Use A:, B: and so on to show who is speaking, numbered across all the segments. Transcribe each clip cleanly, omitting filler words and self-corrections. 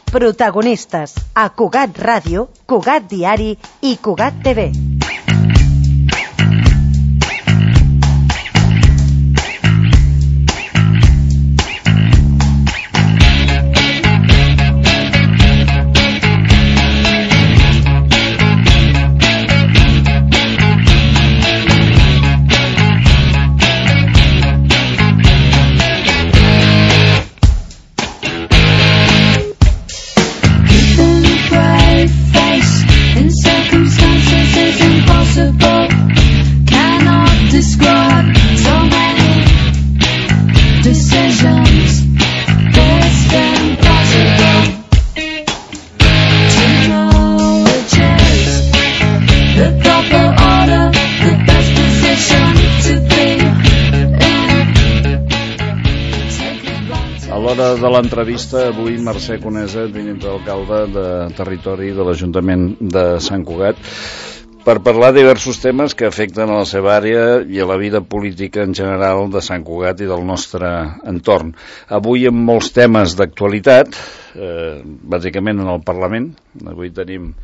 A: Protagonistes a Cugat Ràdio, Cugat Diari i Cugat TV.
B: De l'entrevista avui Mercè Conesa, tinent d'alcalde de territori de l'Ajuntament de Sant Cugat, per parlar de diversos temes que afecten a la seva àrea i a la vida política en general de Sant Cugat i del nostre entorn. Avui amb molts temes d'actualitat, bàsicament en el Parlament. Avui tenim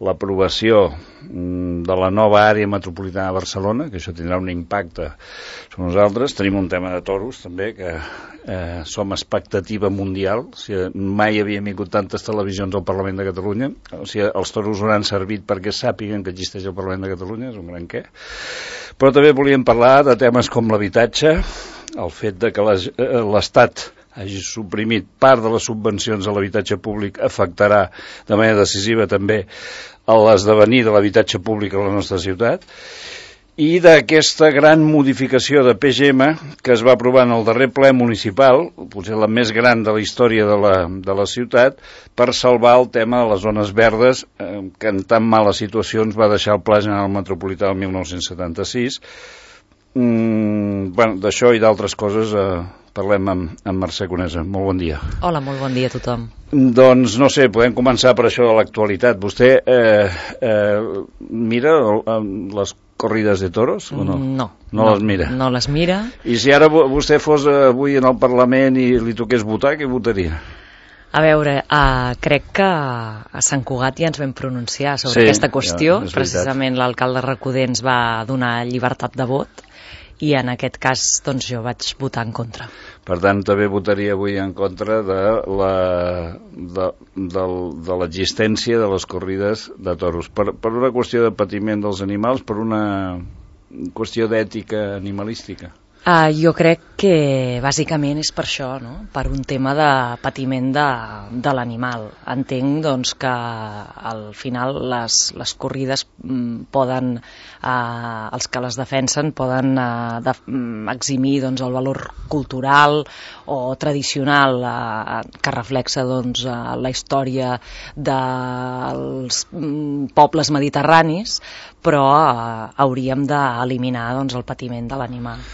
B: l'aprovació de la nova àrea metropolitana de Barcelona, que això tindrà un impacte sobre nosaltres. Tenim un tema de toros, també, que som expectativa mundial. O sigui, mai havien vingut tantes televisions al Parlament de Catalunya. O sigui, els toros hauran servit perquè sàpiguen que existeix el Parlament de Catalunya, és un gran què. Però també volíem parlar de temes com l'habitatge, el fet de que l'Estat hagi suprimit part de les subvencions a l'habitatge públic afectarà de manera decisiva també a l'esdevenir de l'habitatge públic a la nostra ciutat, i d'aquesta gran modificació de PGM que es va aprovar en el darrer ple municipal, potser la més gran de la història de la ciutat, per salvar el tema de les zones verdes, que en tan mala situació ens va deixar el Pla General Metropolità el 1976. D'això i d'altres coses parlem amb Mercè Conesa. Molt bon dia.
C: Hola, molt bon dia a tothom.
B: Doncs no sé, podem començar per això de l'actualitat. Vostè mira les corrides de toros o no? No les mira?
C: No les mira.
B: I si ara vostè fos avui en el Parlament i li toqués votar, què votaria?
C: A veure, crec que a Sant Cugat ja ens vam pronunciar sobre aquesta qüestió. Precisament l'alcalde Recoder ens va donar llibertat de vot i en aquest cas doncs, jo vaig votar en contra.
B: Per tant, també votaria avui en contra de l'existència de les corrides de toros. Per una qüestió de patiment dels animals, per una qüestió d'ètica animalística?
C: Jo crec que bàsicament és per això, no? Per un tema de patiment de l'animal. Entenc doncs, que al final les corrides poden, els que les defensen poden eximir doncs, el valor cultural o tradicional que reflexa doncs, la història dels pobles mediterranis, però hauríem d'eliminar doncs, el patiment de l'animal.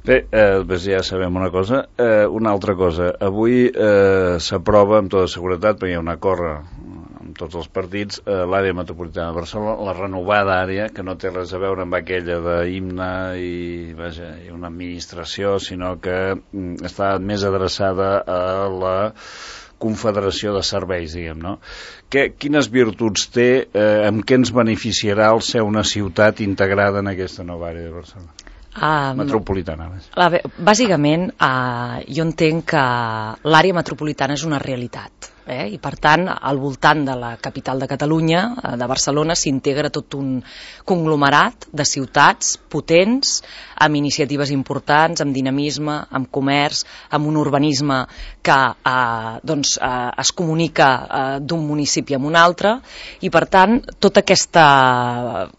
B: Bé, ja sabem una cosa. Una altra cosa. Avui s'aprova amb tota seguretat, perquè hi ha un acord amb tots els partits, l'àrea metropolitana de Barcelona, la renovada àrea, que no té res a veure amb aquella d'himne i una administració, sinó que està més adreçada a la confederació de serveis, diguem, no? Quines virtuts té, amb què ens beneficiarà el ser una ciutat integrada en aquesta nova àrea de Barcelona? Metropolitana.
C: Bàsicament, jo entenc que l'àrea metropolitana és una realitat. I per tant, al voltant de la capital de Catalunya, de Barcelona, s'integra tot un conglomerat de ciutats potents, amb iniciatives importants, amb dinamisme, amb comerç, amb un urbanisme que es comunica d'un municipi a un altre, i per tant, tota aquesta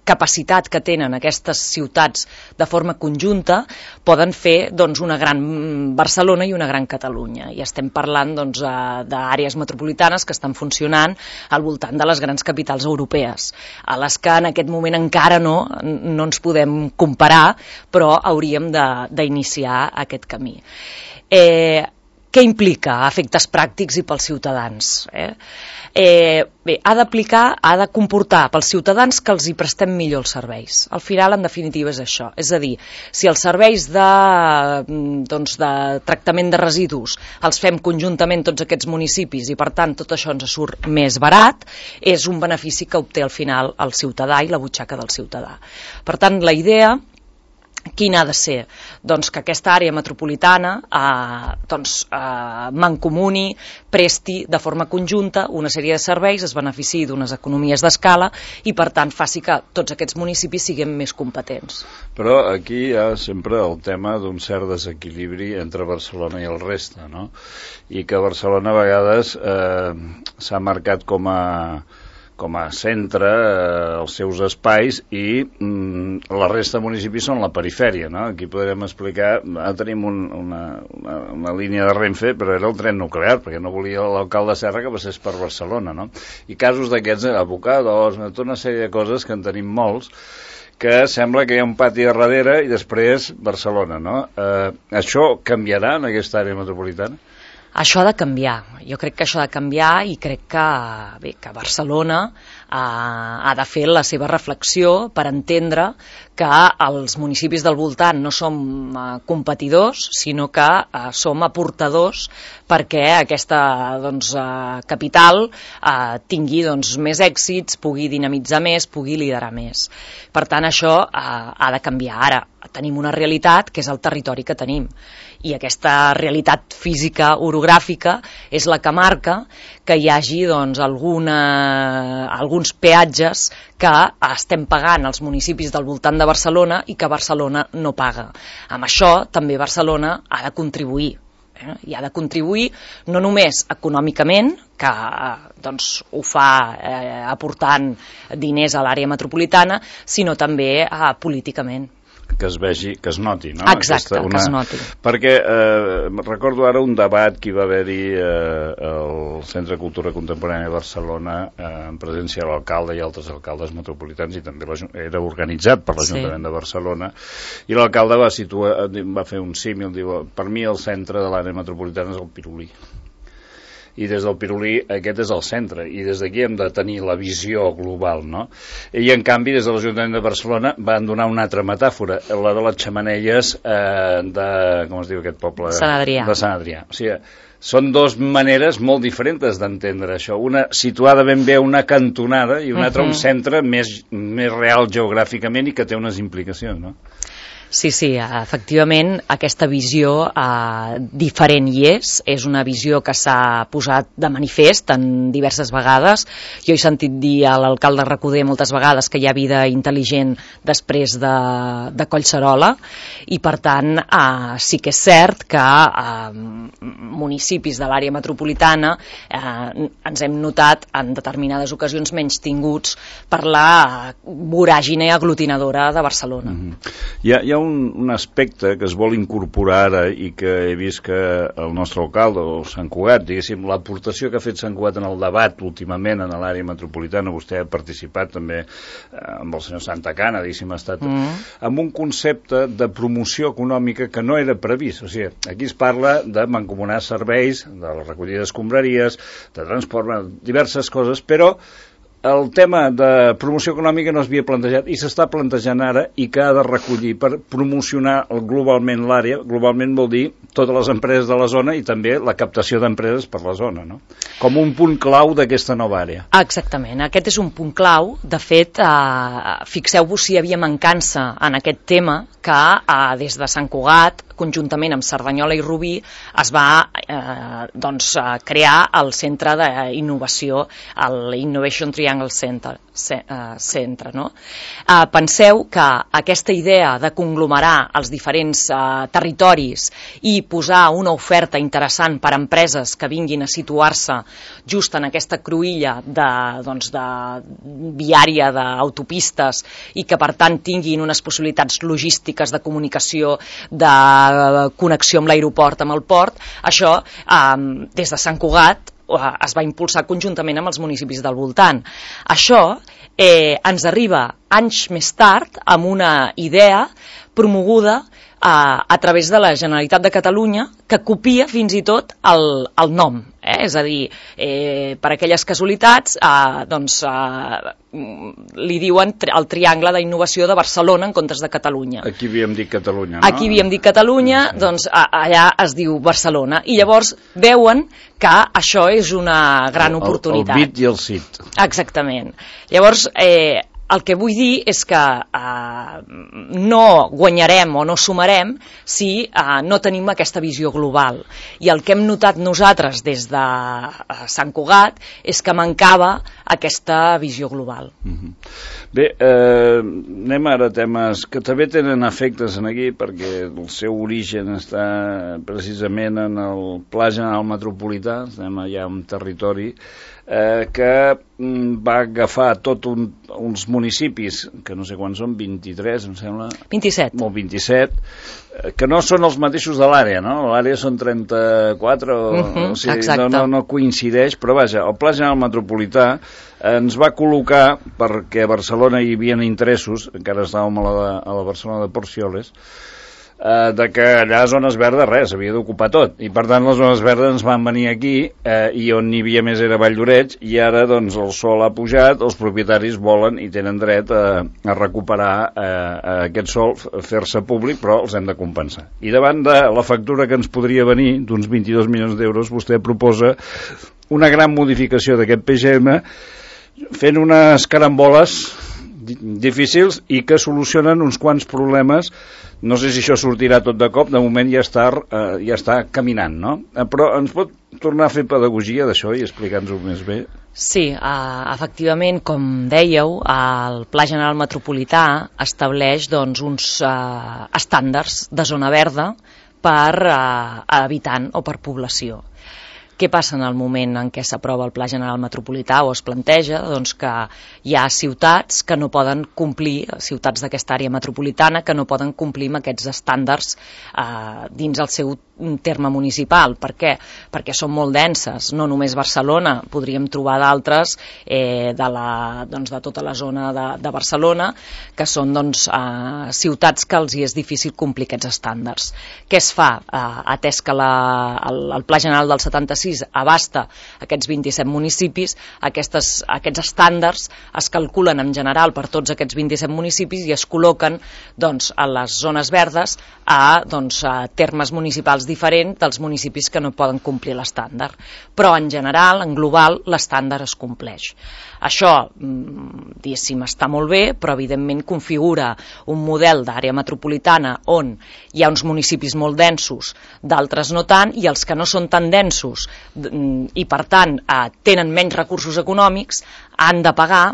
C: capacitat que tenen aquestes ciutats de forma conjunta poden fer doncs, una gran Barcelona i una gran Catalunya. I estem parlant doncs, d'àrees metropolitanes que estan funcionant al voltant de les grans capitals europees, a les que en aquest moment encara no ens podem comparar, però hauríem d'iniciar aquest camí. Què Què implica a efectes pràctics i pels ciutadans? Bé, ha de comportar pels ciutadans que els hi prestem millor els serveis. Al final, en definitiva, és això. És a dir, si els serveis de tractament de residus els fem conjuntament tots aquests municipis i, per tant, tot això ens surt més barat, és un benefici que obté al final el ciutadà i la butxaca del ciutadà. Per tant, la idea quina ha de ser? Doncs que aquesta àrea metropolitana mancomuni, presti de forma conjunta una sèrie de serveis, es beneficiï d'unes economies d'escala i per tant faci que tots aquests municipis siguem més competents.
B: Però aquí hi ha sempre el tema d'un cert desequilibri entre Barcelona i el reste, no? I que Barcelona a vegades s'ha marcat com a centre els seus espais i la resta de municipis són la perifèria, no? Aquí podrem explicar, tenim una línia de Renfe, però era el tren nuclear, perquè no volia l'alcalde Serra que passés per Barcelona, no? I casos d'aquests, abocados, tota una sèrie de coses que en tenim molts, que sembla que hi ha un pati a darrere i després Barcelona, no? Això canviarà en aquesta àrea metropolitana?
C: Això ha de canviar. Jo crec que això ha de canviar i crec que Barcelona ha de fer la seva reflexió per entendre que els municipis del voltant no som competidors, sinó que som aportadors perquè aquesta capital tingui més èxits, pugui dinamitzar més, pugui liderar més. Per tant, això ha de canviar. Ara tenim una realitat que és el territori que tenim i aquesta realitat física orogràfica és la que marca que hi hagi alguns peatges que estem pagant als municipis del voltant de Barcelona i que Barcelona no paga. Amb això també Barcelona ha de contribuir. I ha de contribuir no només econòmicament, que ho fa aportant diners a l'àrea metropolitana, sinó també políticament.
B: Que es vegi, que es noti, no?
C: Exacte, que es noti.
B: Perquè recordo ara un debat que hi va haver-hi al Centre de Cultura Contemporània de Barcelona en presència de l'alcalde i altres alcaldes metropolitans i també era organitzat per l'Ajuntament de Barcelona i l'alcalde va fer un símil, diu, per mi el centre de l'àrea metropolitana és el Pirulí. I des del Pirulí aquest és el centre i des d'aquí hem de tenir la visió global, no? I en canvi des de l'Ajuntament de Barcelona van donar una altra metàfora, la de les xemeneies com es diu aquest poble?
C: Sant Adrià.
B: De Sant Adrià. O sigui, són dues maneres molt diferents d'entendre això, una situada ben bé a una cantonada i una altra un centre més real geogràficament i que té unes implicacions, no?
C: Sí, efectivament, aquesta visió diferent hi és una visió que s'ha posat de manifest en diverses vegades. Jo he sentit dir a l'alcalde Recoder moltes vegades que hi ha vida intel·ligent després de Collserola i, per tant, sí que és cert que municipis de l'àrea metropolitana ens hem notat en determinades ocasions menys tinguts per la voràgine aglutinadora de Barcelona.
B: Hi ha un aspecte que es vol incorporar ara i que he vist que el nostre alcalde, o Sant Cugat, diguéssim, l'aportació que ha fet Sant Cugat en el debat últimament en l'àrea metropolitana, vostè ha participat també amb el senyor Santacana, diguéssim, ha estat amb un concepte de promoció econòmica que no era previst. O sigui, aquí es parla de mancomunar serveis, de la recollida d'escombraries, de transport, diverses coses, però el tema de promoció econòmica no s'havia plantejat i s'està plantejant ara i que ha de recollir per promocionar globalment l'àrea. Globalment vol dir totes les empreses de la zona i també la captació d'empreses per la zona, no? Com un punt clau d'aquesta nova àrea.
C: Exactament, aquest és un punt clau. De fet, fixeu-vos si hi havia mancança en aquest tema que des de Sant Cugat, conjuntament amb Cerdanyola i Rubí, es va crear el centre d'innovació, l'Innovation Triangle Centre, no? Penseu que aquesta idea de conglomerar els diferents territoris i posar una oferta interessant per a empreses que vinguin a situar-se just en aquesta cruïlla de viària d'autopistes i que per tant tinguin unes possibilitats logístiques de comunicació, de connexió amb l'aeroport, amb el port, això des de Sant Cugat es va impulsar conjuntament amb els municipis del voltant. Això ens arriba anys més tard amb una idea promoguda a través de la Generalitat de Catalunya, que copia fins i tot el nom. És a dir, per aquelles casualitats, li diuen el Triangle d'Innovació de Barcelona en comptes de Catalunya.
B: Aquí havíem dit Catalunya, no?
C: Aquí havíem dit Catalunya, doncs allà es diu Barcelona. I llavors veuen que això és una gran oportunitat.
B: El bit i el sit.
C: Exactament. Llavors, el que vull dir és que no guanyarem o no sumarem si no tenim aquesta visió global. I el que hem notat nosaltres des de Sant Cugat és que mancava aquesta visió global.
B: Bé, anem ara a temes que també tenen efectes aquí, perquè el seu origen està precisament en el Pla General Metropolità, estem allà en territori, que va agafar tots uns municipis, que no sé quants són, 23, em sembla.
C: 27.
B: Molt 27, que no són els mateixos de l'àrea, no? L'àrea són 34, o sigui, no coincideix, però vaja, el Pla General Metropolità ens va col·locar, perquè a Barcelona hi havia interessos, encara estàvem a la Barcelona de Porcioles, de que allà a zones verdes res, havia d'ocupar tot, i per tant les zones verdes ens van venir aquí, i on n'hi havia més era Valldoreix, i ara doncs el sol ha pujat, els propietaris volen i tenen dret a recuperar aquest sol, fer-se públic, però els hem de compensar. I davant de la factura que ens podria venir, d'uns 22 milions d'euros, vostè proposa una gran modificació d'aquest PGM, fent unes caramboles difícils i que solucionen uns quants problemes. No sé si això sortirà tot de cop, de moment ja està caminant, no? Però ens pot tornar a fer pedagogia d'això i explicar-nos-ho més bé?
C: Sí, efectivament, com dèieu, el Pla General Metropolità estableix uns estàndards de zona verda per habitant o per població. Què passa en el moment en què s'aprova el Pla General Metropolità o es planteja? Doncs que hi ha ciutats que no poden complir, ciutats d'aquesta àrea metropolitana, que no poden complir amb aquests estàndards dins el seu terme municipal. Per què? Perquè són molt denses, no només Barcelona, podríem trobar d'altres de tota la zona de Barcelona, que són ciutats que els hi és difícil complir aquests estàndards. Què es fa? Atès que el Pla General del 76 abasta aquests 27 municipis, aquests estàndards es calculen en general per tots aquests 27 municipis i es col·loquen a les zones verdes a termes municipals diferents dels municipis que no poden complir l'estàndard. Però en general, en global, l'estàndard es compleix. Això, diguéssim, està molt bé, però evidentment configura un model d'àrea metropolitana on hi ha uns municipis molt densos, d'altres no tant, i els que no són tan densos i per tant tenen menys recursos econòmics han de pagar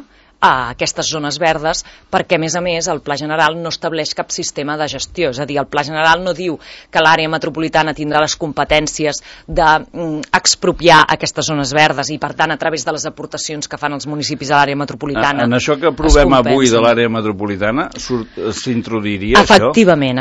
C: a aquestes zones verdes perquè, a més, el Pla General no estableix cap sistema de gestió. És a dir, el Pla General no diu que l'àrea metropolitana tindrà les competències d'expropiar aquestes zones verdes i, per tant, a través de les aportacions que fan els municipis a l'àrea metropolitana.
B: En això que aprovem avui de l'àrea metropolitana s'introduiria això?
C: Efectivament.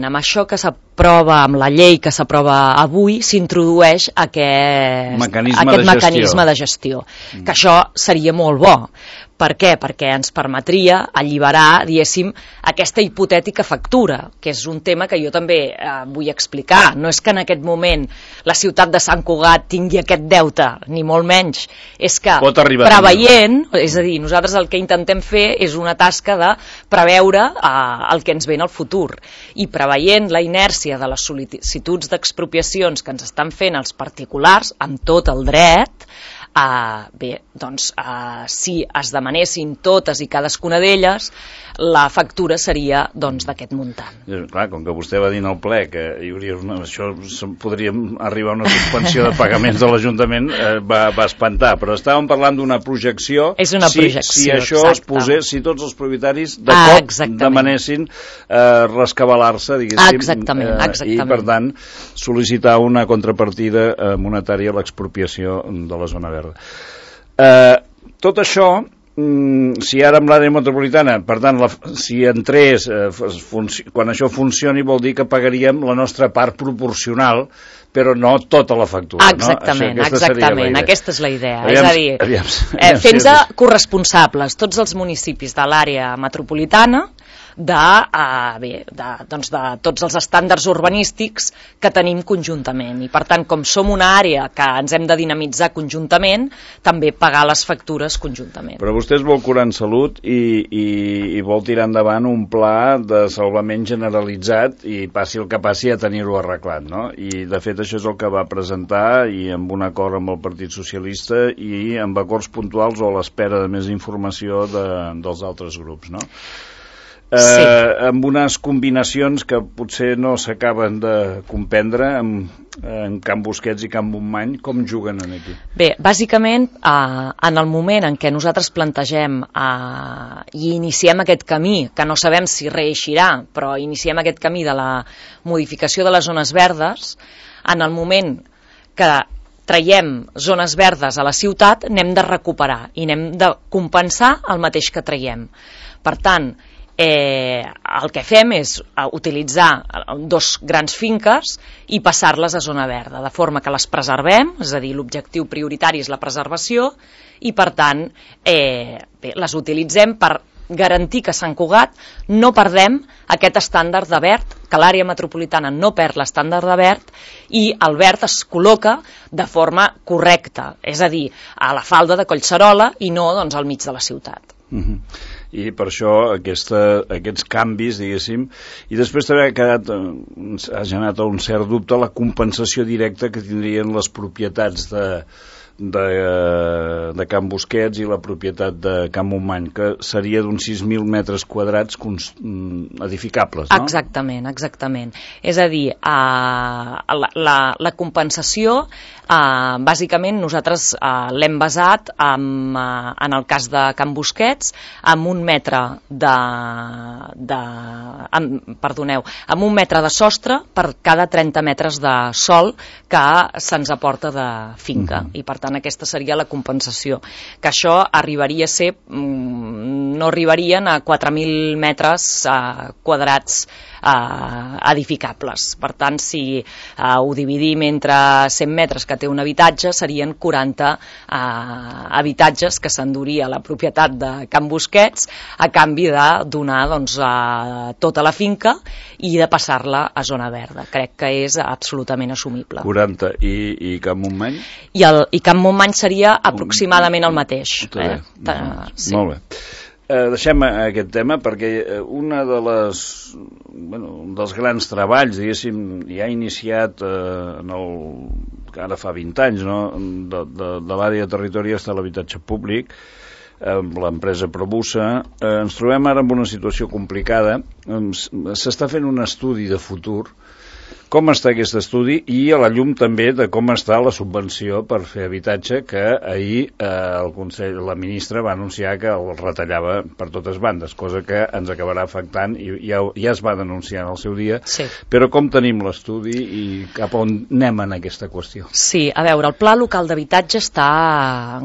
C: Amb això que s'aprova, amb la llei que s'aprova avui, s'introdueix aquest mecanisme de gestió. Que això seria molt bo. Per què? Perquè ens permetria alliberar, diguéssim, aquesta hipotètica factura, que és un tema que jo també vull explicar. No és que en aquest moment la ciutat de Sant Cugat tingui aquest deute, ni molt menys. És que preveient, és a dir, nosaltres el que intentem fer és una tasca de preveure el que ens ve en el futur. I preveient la inèrcia de les sol·licituds d'expropiacions que ens estan fent els particulars, amb tot el dret, si es demanessin totes i cadascuna d'elles, la factura seria d'aquest muntant.
B: Clar, com que vostè va dir en el ple que hi hauria això podríem arribar a una suspensió de pagaments de l'Ajuntament, va espantar, però estàvem parlant d'una projecció.
C: És una projecció,
B: si això es posés, si tots els propietaris de cop demanessin rescabalar-se, diguéssim, i per tant sol·licitar una contrapartida monetària a l'expropiació de la zona verda. Tot això, si ara amb l'àrea metropolitana, per tant, si entrés, quan això funcioni, vol dir que pagaríem la nostra part proporcional, però no tota la factura.
C: Exactament, aquesta és la idea. És a dir, fent-se corresponsables tots els municipis de l'àrea metropolitana de tots els estàndards urbanístics que tenim conjuntament. I per tant, com som una àrea que ens hem de dinamitzar conjuntament, també pagar les factures conjuntament.
B: Però vostè es vol curar en salut i vol tirar endavant un pla de salvament generalitzat i passi el que passi a tenir-ho arreglat, no? I de fet això és el que va presentar i amb un acord amb el Partit Socialista i amb acords puntuals o a l'espera de més informació dels altres grups, no?
C: Sí.
B: Amb unes combinacions que potser no s'acaben de comprendre en Can Busquets i Can Montmany. Com juguen aquí?
C: Bé, bàsicament, en el moment en què nosaltres plantegem i iniciem aquest camí, que no sabem si reeixirà, però iniciem aquest camí de la modificació de les zones verdes, en el moment que traiem zones verdes a la ciutat, n'hem de recuperar i n'hem de compensar el mateix que traiem. Per tant, el que fem és utilitzar dos grans finques i passar-les a zona verda, de forma que les preservem, és a dir, l'objectiu prioritari és la preservació i, per tant, les utilitzem per garantir que Sant Cugat no perdem aquest estàndard de verd, que l'àrea metropolitana no perd l'estàndard de verd i el verd es col·loca de forma correcta, és a dir, a la falda de Collserola i no doncs, al mig de la ciutat.
B: I per això aquests canvis, diguéssim, i després també ha generat un cert dubte la compensació directa que tindrien les propietats de Can Busquets i la propietat de Can Montmany, que seria d'uns 6.000 metres quadrats edificables, no?
C: Exactament. És a dir, la compensació, bàsicament nosaltres l'hem basat en el cas de Can Busquets amb un metre amb un metre de sostre per cada 30 metres de sòl que se'ns aporta de finca. I per tant aquesta seria la compensació, que això arribaria a ser, no arribarien a 4.000 metres quadrats edificables. Per tant, si ho dividim entre 100 metres que té un habitatge, serien 40 habitatges que s'enduria la propietat de Can Busquets a canvi de donar tota la finca i de passar-la a zona verda. Crec que és absolutament assumible.
B: 40. I Can Montmany?
C: I Can Montmany seria aproximadament el mateix.
B: Sí. Molt bé. Deixem aquest tema perquè un dels grans treballs, diguéssim, ja iniciat ara fa 20 anys, no? de l'àrea de territori està l'habitatge públic, amb l'empresa Probusa. Ens trobem ara en una situació complicada. S'està fent un estudi de futur. Com està aquest estudi i a la llum també de com està la subvenció per fer habitatge, que ahir la ministra va anunciar que el retallava per totes bandes, cosa que ens acabarà afectant i ja es va denunciar en el seu dia.
C: Sí.
B: Però com tenim l'estudi i cap on anem en aquesta qüestió?
C: Sí, a veure, el Pla Local d'Habitatge està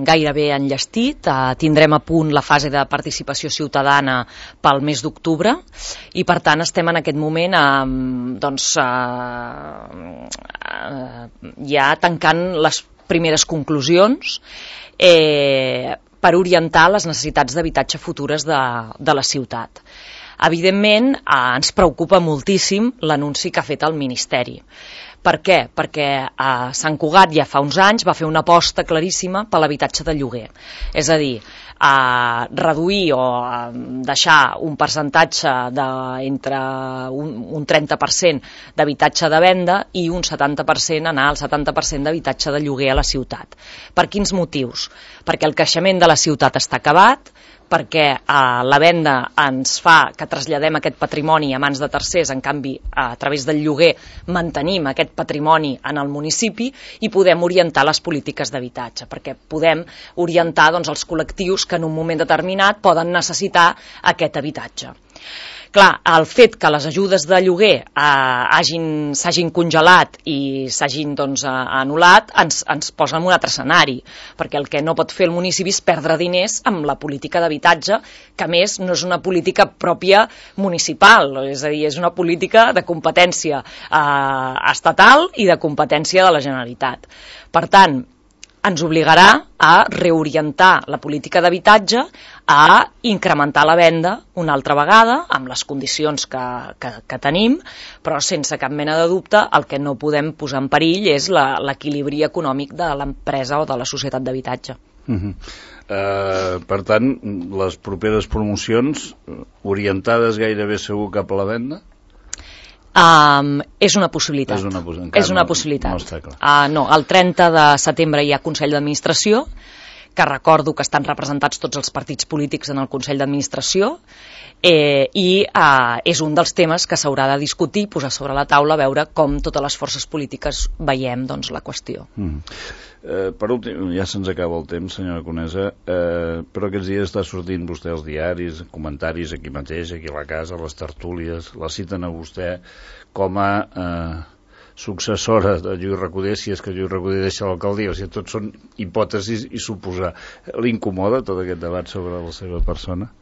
C: gairebé enllestit, tindrem a punt la fase de participació ciutadana pel mes d'octubre i per tant estem en aquest moment ja tancant les primeres conclusions per orientar les necessitats d'habitatge futures de la ciutat. Evidentment, ens preocupa moltíssim l'anunci que ha fet el Ministeri. Per què? Perquè Sant Cugat ja fa uns anys va fer una aposta claríssima per l'habitatge de lloguer. És a dir, reduir o deixar un percentatge entre un 30% d'habitatge de venda i un 70% anar al 70% d'habitatge de lloguer a la ciutat. Per quins motius? Perquè el creixement de la ciutat està acabat, perquè la venda ens fa que traslladem aquest patrimoni a mans de tercers, en canvi, a través del lloguer mantenim aquest patrimoni en el municipi i podem orientar les polítiques d'habitatge, perquè podem orientar els col·lectius que en un moment determinat poden necessitar aquest habitatge. Clar, el fet que les ajudes de lloguer s'hagin congelat i s'hagin anul·lat ens posa en un altre escenari, perquè el que no pot fer el municipi és perdre diners amb la política d'habitatge, que a més no és una política pròpia municipal, és a dir, és una política de competència estatal i de competència de la Generalitat. Per tant, ens obligarà a reorientar la política d'habitatge a incrementar la venda una altra vegada, amb les condicions que tenim, però sense cap mena de dubte el que no podem posar en perill és l'equilibri econòmic de l'empresa o de la societat d'habitatge.
B: Per tant, les properes promocions orientades gairebé segur cap a la venda?
C: És una possibilitat. És una possibilitat.
B: No està clar.
C: No, el 30 de setembre hi ha Consell d'Administració, que recordo que estan representats tots els partits polítics en el Consell d'Administració, i és un dels temes que s'haurà de discutir, posar sobre la taula, veure com totes les forces polítiques veiem la qüestió.
B: Per últim, ja se'ns acaba el temps, senyora Conesa, però aquests dies està sortint vostè als diaris, comentaris aquí mateix, aquí a la casa, les tertúlies, la citen a vostè com a successora de Lluís Recoder, si és que Lluís Recoder deixa l'alcaldia, o sigui, tot són hipòtesis i suposar. L'incomoda tot aquest debat sobre la seva persona?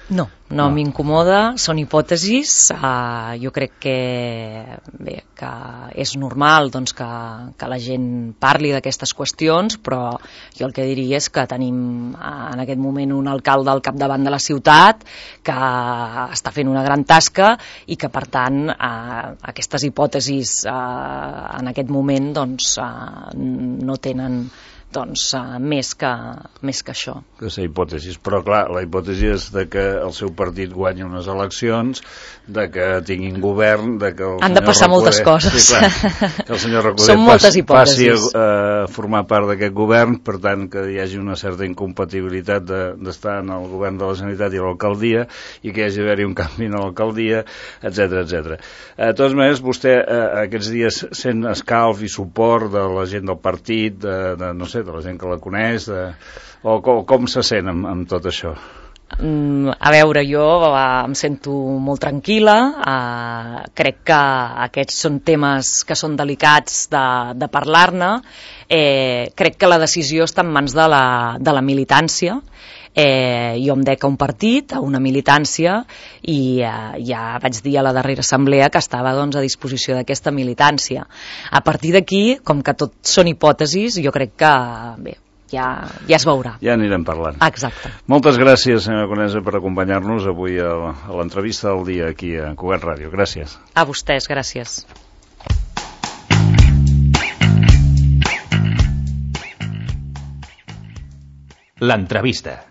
C: No m'incomoda, són hipòtesis. Jo crec que és normal que la gent parli d'aquestes qüestions, però jo el que diria és que tenim en aquest moment un alcalde al capdavant de la ciutat que està fent una gran tasca i que, per tant, aquestes hipòtesis en aquest moment no tenen més que això.
B: Que ser hipòtesis, però clar, la hipòtesi és de que el seu partit guanyi unes eleccions, de que tinguin govern, de que el
C: han de passar moltes coses.
B: Sí, clar, que el senyor Recoder passi a formar part d'aquest govern, per tant que hi hagi una certa incompatibilitat d'estar en el govern de la Generalitat i l'alcaldia, i que hi hagi d'haver un canvi en l'alcaldia, etc etc. De totes maneres, vostè aquests dies sent escalf i suport de la gent del partit, no sé, de la gent que la coneix, o com se sent amb tot això?
C: A veure, jo em sento molt tranquil·la, crec que aquests són temes que són delicats de parlar-ne, crec que la decisió està en mans de la militància. Jo em dec a un partit, a una militància, i ja vaig dir a la darrera assemblea que estava a disposició d'aquesta militància. A partir d'aquí, com que tot són hipòtesis, jo crec que ja es veurà.
B: Ja anirem parlant.
C: Exacte.
B: Moltes gràcies, senyora Conesa, per acompanyar-nos avui a l'entrevista del dia aquí a Cugat Ràdio. Gràcies.
C: A vostès, gràcies.
D: L'entrevista.